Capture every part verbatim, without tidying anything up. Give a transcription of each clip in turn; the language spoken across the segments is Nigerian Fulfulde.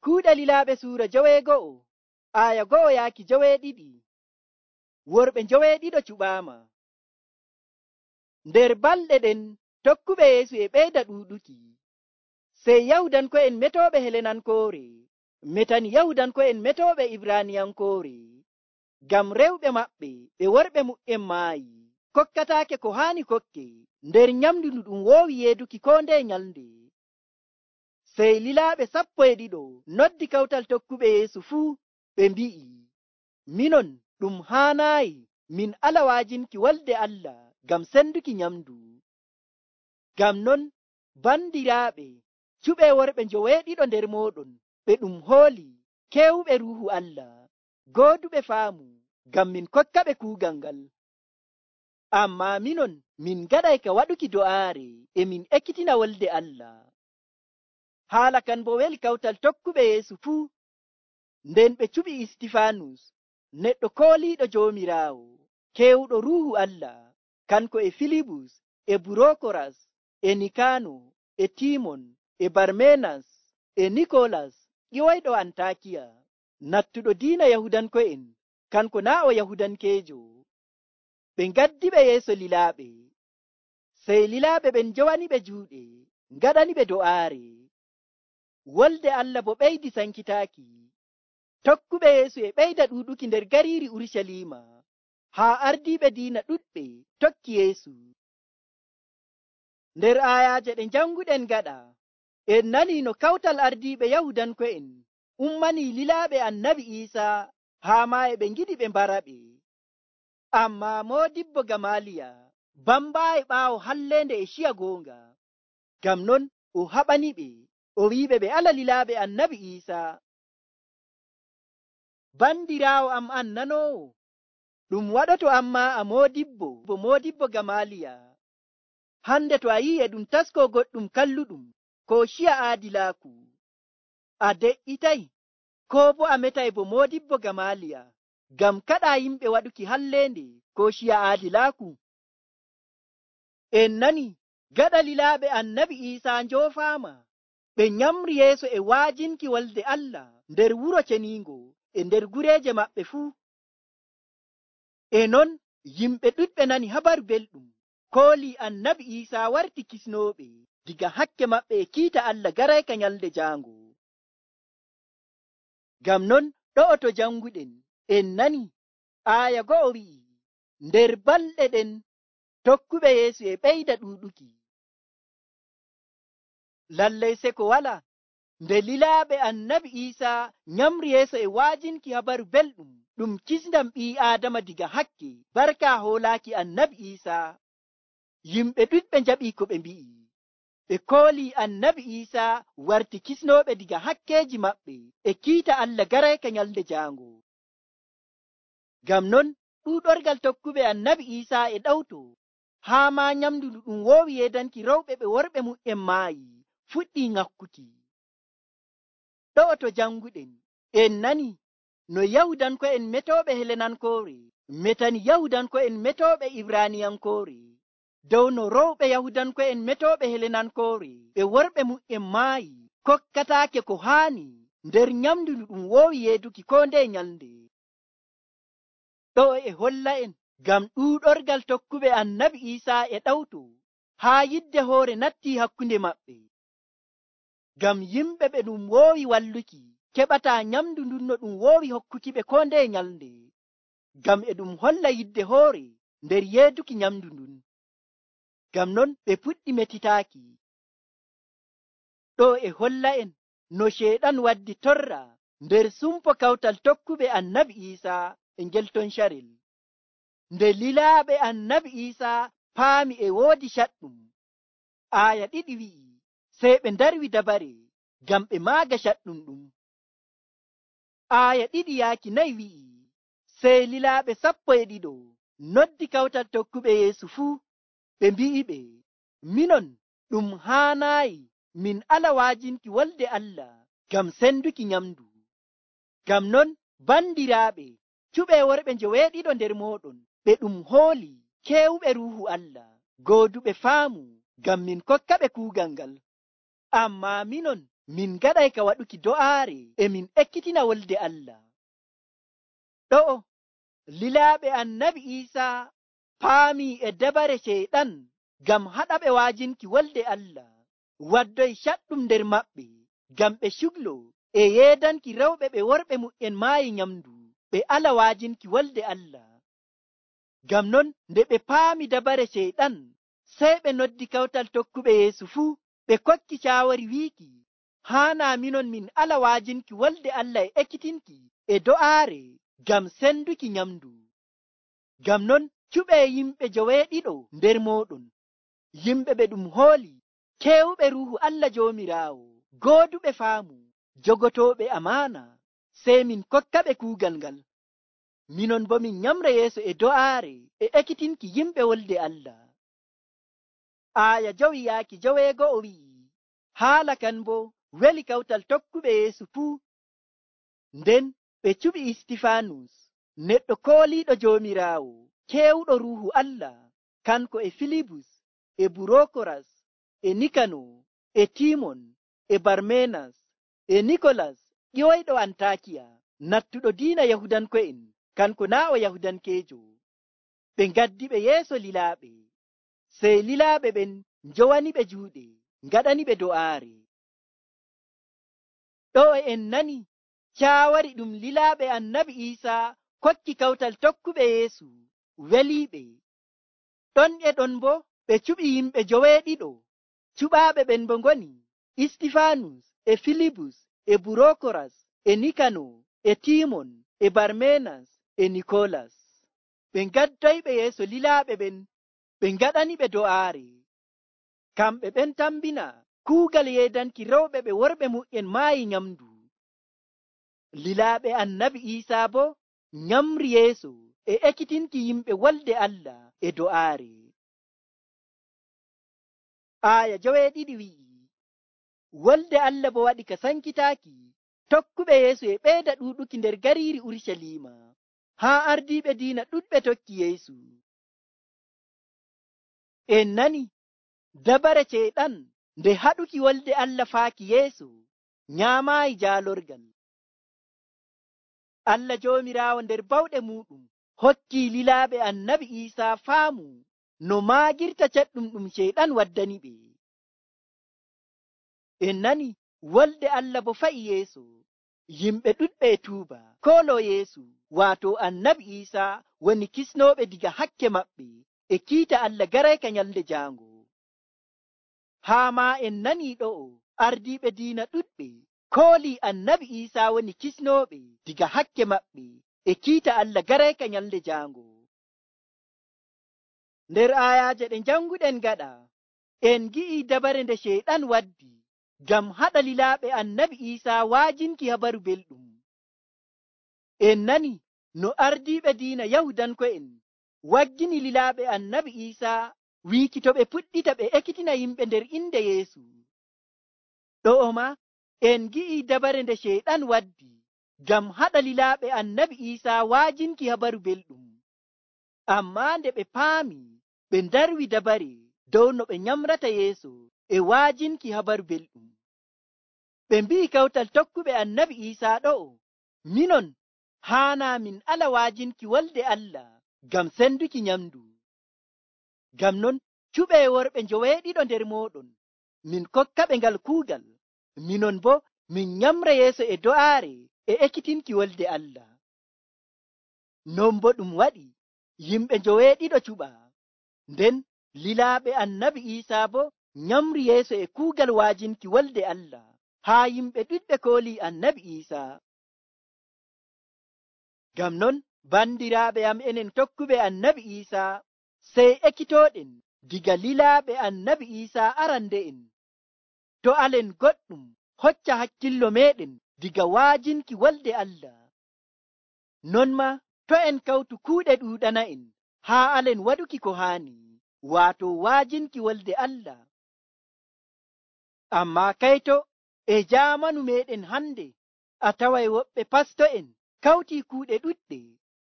Kuuɗe Lilaaɓe suura joweego'o aya go'o yaaki joweeɗiɗi. Worɓe joweeɗiɗo cuɓaama. Nder balɗe ɗen tokkuɓe Yeesu e ɓeyda ɗuuɗuki. Sey Yahudanko'en metooɓe Helenankoore metani Yahudanko'en metooɓe Ibraaniyankoore, ngam rewɓe maɓɓe ɓe worɓe mu'en maayi, kokkataake ko haani kokke nder nyamndu ndu ɗum woowi yeeduki koo ndeye nyalnde. Sey lilaaɓe sappo e ɗiɗo noddi kawtal tokkuɓe Yeesu fuu, ɓe mbi'i, minon ɗum haanaayi min ala waajinki wolde Allah ngam senduki nyamndu. Ngam non, bandiraaɓe, cuɓee worɓe njoweeɗiɗo nder mooɗon ɓe ɗum hooli, keewuɓe Ruuhu Allah, gooduɓe faamu, ngam min kokkaɓe kuugal ngal. Ammaa minon min ngaɗay ka waɗuki do'aare e min ekkitina wolde Allah. Haala kan bo weli kawtal tokkuɓe Yeesu fuu. Nden ɓe cuɓi Istifaanus, neɗɗo kooliiɗo Joomiraawo, keewuɗo Ruuhu Allah, kanko e Filibus, e Burookoras, e Nikaano, e Tiimon, e Barmenas, e Nikoolas, ƴiwoyɗo Antaakiya, nattuɗo diina Yahudanko'en, kanko naa' o Yahudankeejo. Ɓe ngaddiɓe yeeso lilaaɓe. Sey lilaaɓe ɓen njowaniɓe juuɗe, ngaɗaniɓe do'aare. Wolde Allah bo ɓeydi sankitaaki. Tokkuɓe Yeesu e ɓeyda ɗuuɗuki nder gariiri Urucaliima, haa ardiiɓe diina ɗuɗɓe tokki Yeesu. Nder aayaaje ɗe njanguɗen gaɗa, en nanii no kawtal ardiiɓe Yahudanko'en ummanii lilaaɓe Annabi Iisaa haa maa e ɓe ngiɗi ɓe mbaraɓe. Ammaa Moodibbo Gamaaliya bambaayi ɓaawo halleende e ciya goonga. Ngam non o haɓaniɓe, o wi'iɓe ɓe ala lilaaɓe Annabi Iisaa. Bandiraawo am an nanoowo, ɗum waɗoto ammaa a moodibbo bo Moodibbo Gamaaliya. Hande to a yi'i e ɗum taskoo goɗɗum kalluɗum ko ciya aadilaaku, a de'itay koo bo a metay bo Moodibbo Gamaaliya ngam kaɗaa yimɓe waɗuki halleende ko ciya aadilaaku. En nani gaɗa lilaaɓe Annabi Iisaa njoofaama, ɓe nyamri yeeso e waajinki wolde Allah nder wuro ceniingo e nder gureeje maɓɓe fuu. E non yimɓe ɗuɗɓe nani habaru belɗum, koolii Annabi Iisaa warti kisnooɓe diga hakke maɓɓe e kiita Allah garayka nyalde jaango. Ngam non ɗo'o to janguɗen en nani aaya go'o wi'i, nder balɗe ɗen tokkuɓe Yeesu e ɓeyda ɗuuɗuki. Lallay seko wala, nde lilaaɓe Annabi Iisaa nyamri yeeso e waajinki habaru belɗum ɗum kisndam ɓii Aadama diga hakke barka hoolaaki Annabi Iisaa, yimɓe ɗuɗɓe njaɓii ko ɓe mbi'i. Ɓe koolii Annabi Iisaa warti kisnooɓe diga hakkeeji maɓɓe e kiita Allah garayka nyalde jaango. Ngam non ɗuuɗorgal tokkuɓe Annabi Iisaa e ɗawto, haa maa nyamndu ndu ɗum woowi yeedanki rewɓe ɓe worɓe mu'en maayi fuɗɗii ŋakkuki. Ɗo'o to janguɗen en nani no Yahudanko'en metooɓe Helenankoore metani Yahudanko'en metooɓe Ibraaniyankoore dow no rewɓe Yahudanko'en metooɓe Helenankoore ɓe worɓe mu'en maayi kokkataake ko haani nder nyamndu ndu ɗum woowi yeeduki koo ndeye nyalnde. Ɗo'o e holla en ngam ɗuuɗorgal tokkuɓe Annabi Iisaa e ɗawto haa yidde hoore nattii hakkunde maɓɓe. Ngam yimɓe ɓe ɗum woowi walluki keɓataa nyamndu ndun no ɗum woowi hokkuki ɓe koo ndeye nyalnde, ngam e ɗum holla yidde hoore nder yeeduki nyamndu ndun. Ngam non ɓe puɗɗi metitaaki. Ɗo e holla en no Ceyɗan waddi torra nder sumpo kawtal tokkuɓe Annabi Iisaa e ngel ton carel. Nde lilaaɓe Annabi Iisaa paami e woodi caɗɗum, aaya ɗiɗi wi'i, sey ɓe ndarwi dabare ngam ɓe maaga caɗɗum ɗum. Aaya ɗiɗi yaaki nayi wi'i, sey lilaaɓe sappo e ɗiɗo noddi kawtal tokkuɓe Yeesu fuu, ɓe mbi'iɓe, minon ɗum haanaayi min ala waajinki wolde Allah ngam senduki nyamndu. Ngam non bandiraaɓe, cuɓee worɓe njoweeɗiɗo nder mooɗon ɓe ɗum hooli keewuɓe Ruuhu Allah, gooduɓe faamu ngam min kokkaɓe kuugal ngal. Ammaa minon min gaɗay ka waɗuki do'aare e min ekkitina wolde Allah. Ɗo'o lilaaɓe annabi Iisaa paamii e dabare Ceyɗan ngam haɗaɓe waajinki wolde Allah, waddoy caɗɗum nder maɓɓe ngam ɓe cuglo e yeedanki rewɓe ɓe worɓe mu'en maayi nyamndu ɓe ala waajinki wolde Allah. Ngam non nde ɓe paami dabare Ceyɗan, sey ɓe noddi kawtal tokkuɓe Yeesu fuu, ɓe kokki caawori wiiki, haanaa minon min ala waajinki wolde Allah e ekkitinki e do'aare ngam senduki nyamndu. Ngam non cuɓee yimɓe joweeɗiɗo nder mooɗon, yimɓe ɓe ɗum hooli, keewuɓe Ruuhu Allah Joomiraawo, gooduɓe faamu, jogotooɓe amaana, sey min kokkaɓe kuugal ngal. Minon bo min nyamra yeeso e do'aare e ekkitinki yimɓe wolde Allah. Aaya jowi yaaki joweego'o wi'i, haala kan bo weli kawtal tokkuɓe Yeesu fuu. Nden ɓe cuɓi Istifaanus, neɗɗo kooliiɗo Joomiraawo, keewuɗo Ruuhu Allah, kanko e Filibus, e Burokoras, e Nikano, e Timon, e Barmenas, e Nikolas ƴiwoyɗo Antakiya, nattuɗo diina Yahudanko'en, kanko naa o Yahudankeejo. Ɓe ngaddi ɓe yeeso lilaaɓe, sey lilaaɓe ɓen njowani ɓe juuɗe, ngaɗani ɓe do'aare. Ɗo en nani caawari ɗum lilaaɓe annabi Iisaa kokki kawtal tokkuɓe Yeesu weliiɓe. Ɗon e ɗon bo ɓe cuɓi yimɓe joweeɗiɗo. Cuɓaaɓe ɓen bo ngoni Istifaanus, e Filibus, e Burokoras, e Nikano, e Timon, e Barmenas, e Nikolas. Ɓe ngaddoyɓe yeeso lilaaɓe ɓen, ɓe ngaɗani ɓe do'aare. Kamɓe ɓen tambina kuugal yeedanki rewɓe ɓe worɓe mu'en maayi nyamndu. Lilaaɓe annabi Iisaa bo nyamri yeeso e ekkitinki yimɓe wolde Allah e do'aare. Aaya joweeɗiɗi wi'i, wolde Allah bo waɗi ka sankitaaki, tokkuɓe Yeesu e ɓeyda ɗuuɗuki nder gariiri Urucaliima, haa ardiiɓe diina ɗuɗɓe tokki Yeesu. En nani dabare Ceyɗan nde haɗuki wolde Allah faaki yeeso nyaamaayi jaalorgal. Allah Joomiraawo nder bawɗe muuɗum hokkii lilaaɓe annabi Iisaa faamu no maagirta caɗɗum ɗum Ceyɗan waddani ɓe. En nani wolde Allah bo fa'i yeeso, yimɓe ɗuɗɓe e tuuba kooloo Yeesu, waato annabi Iisaa woni kisnooɓe diga hakke maɓɓe e kiita Allah garayka nyalde jaango. Haa maa en nanii ɗo'o ardiiɓe diina ɗuɗɓe koolii annabi Iisaa woni kisnooɓe diga hakke maɓɓe e kiita Allah garayka nyalde jaango. Nder aayaaje ɗe janguɗen gaɗa, en gi'ii dabare nde Ceyɗan waddi ngam haɗa lilaaɓe annabi Iisaa waajinki habaru belɗum. En nani no ardiiɓe diina Yahudanko'en waggini lilaaɓe annabi Iisaa wiiki to ɓe puɗɗita ɓe ekkitina yimɓe nder inde Yeesu. Ɗo'o ma en gi'ii dabare nde Ceyɗan waddi ngam haɗa lilaaɓe annabi Iisaa waajinki habaru belɗum. Ammaa nde ɓe paami, ɓe ndarwi dabare dow no ɓe nyamrata yeeso e waajinki habaru belɗum. Ɓe mbi'i kawtal tokkuɓe annabi Iisaa ɗo'o, minon haanaa min ala waajinki wolde Allah ngam senduki nyamdu. Ngam non cuɓee worɓe njoweeɗiɗo nder mooɗon, min kokkaɓe ngal kuugal, minon bo min nyamra yeeso e do'aare e ekkitinki wolde Allah. Non bo ɗum waɗi yimɓe njoweeɗiɗo cuɓa, nden lilaaɓe annabi Iisaa bo nyamri yeeso e kuugal waajinki wolde Allah, haa yimɓe ɗuɗɓe koolii annabi Iisaa. Ngam non bandiraaɓe am enen tokkuɓe annabi Iisaa, sey ekkitooɗen diga lilaaɓe annabi Iisaa arande'en. To alen goɗɗum hocca hakkillo meɗen diga waajinki wolde Allah. Non ma to en kawtu kuuɗe ɗuuɗana'en haa alen waɗuki ko haani, waato waajinki wolde Allah. Ammaa kayto e jaamanu meɗen hande, a taway woɓɓe pasto'en kawtii kuuɗe ɗuɗɗe,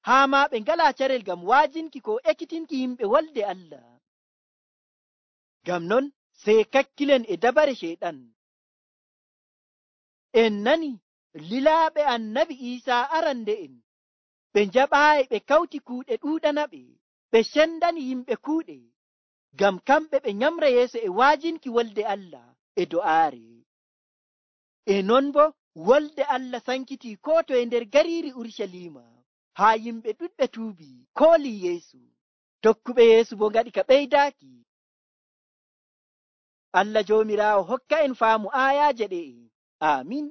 haa ma ɓe ngalaa carel ngam waajinki ko ekkitinki yimɓe wolde Allah. Ngam non sey kakkilen e dabare Ceyɗan. En nani lilaaɓe annabi Iisaa arande'en ɓe njaɓaayi ɓe kawti kuuɗe ɗuuɗanaɓe, ɓe cendani yimɓe kuuɗe, ngam kamɓe ɓe nyamra yeeso e waajinki wolde Allah e do'aare. E non boo wolde Allah sankitii koo toye nder gariiri Urucaliima, haa yimɓe ɗuɗɓe tuubii koolii Yeesu. Tokkuɓe Yeesu boo ngaɗi ka ɓeydaaki. Allah Joomiraawo hokka en faamu aayaaje ɗe'e. Aamin.